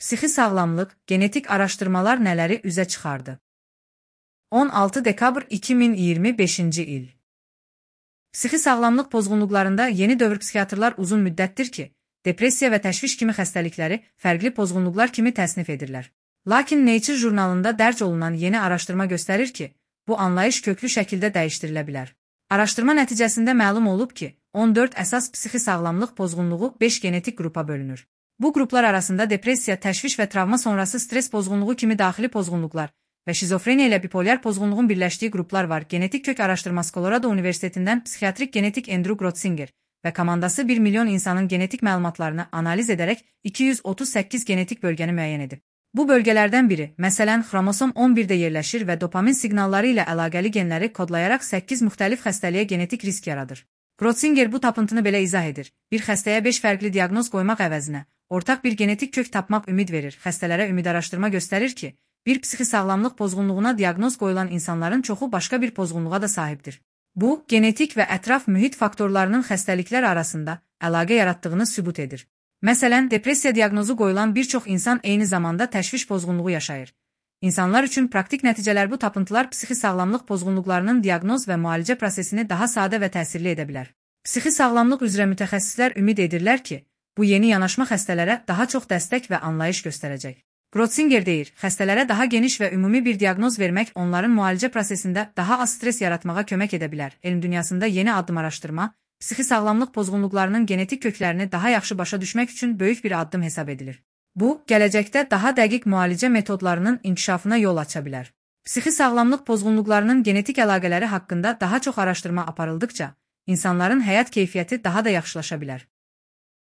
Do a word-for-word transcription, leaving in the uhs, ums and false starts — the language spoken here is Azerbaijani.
Psixi sağlamlıq, genetik araşdırmalar nələri üzə çıxardı? on altı dekabr iki min iyirmi beşinci il. Psixi sağlamlıq pozğunluqlarında yeni dövr psixiatrlar uzun müddətdir ki, depressiya və təşviş kimi xəstəlikləri fərqli pozğunluqlar kimi təsnif edirlər. Lakin Nature jurnalında dərc olunan yeni araşdırma göstərir ki, bu anlayış köklü şəkildə dəyişdirilə bilər. Araşdırma nəticəsində məlum olub ki, on dörd əsas psixi sağlamlıq pozğunluğu beş genetik qrupa bölünür. Bu qruplar arasında depressiya, təşviş və travma sonrası stres pozğunluğu kimi daxili pozğunluqlar və şizofreniya ilə bipolyar pozğunluğun birləşdiyi qruplar var. Genetik kök araşdırması Colorado Universitetindən psixiatrik genetik Andrew Grotzinger və komandası bir milyon insanın genetik məlumatlarını analiz edərək iki yüz otuz səkkiz genetik bölgəni müəyyən edib. Bu bölgələrdən biri, məsələn, xromosom on birdə yerləşir və dopamin siqnalları ilə əlaqəli genləri kodlayaraq səkkiz müxtəlif xəstəliyə genetik risk yaradır. Grotzinger bu tapıntını belə izah edir. Bir xəstəyə beş fərqli diaqnoz qoymaq əvəzinə, ortaq bir genetik kök tapmaq ümid verir. Xəstələrə ümid araşdırma göstərir ki, bir psixi sağlamlıq pozğunluğuna diaqnoz qoyulan insanların çoxu başqa bir pozğunluğa da sahibdir. Bu, genetik və ətraf mühit faktorlarının xəstəliklər arasında əlaqə yaratdığını sübut edir. Məsələn, depressiya diaqnozu qoyulan bir çox insan eyni zamanda təşviş pozğunluğu yaşayır. İnsanlar üçün praktik nəticələr bu tapıntılar psixi sağlamlıq pozğunluqlarının diaqnoz və müalicə prosesini daha sadə və təsirli edə bilər. Psixi sağlamlıq üzrə mütəxəssislər ümid edirlər ki, bu yeni yanaşma xəstələrə daha çox dəstək və anlayış göstərəcək. Grotzinger deyir, xəstələrə daha geniş və ümumi bir diaqnoz vermək onların müalicə prosesində daha az stres yaratmağa kömək edə bilər. Elm dünyasında yeni addım araşdırma, psixi sağlamlıq pozğunluqlarının genetik köklərini daha yaxşı başa düşmək üçün böyük bir addım hesab edilir. Bu, gələcəkdə daha dəqiq müalicə metodlarının inkişafına yol aça bilər. Psixi sağlamlıq pozğunluqlarının genetik əlaqələri haqqında daha çox araşdırma aparıldıqca, insanların həyat keyfiyyəti daha da yaxşılaşa bilər.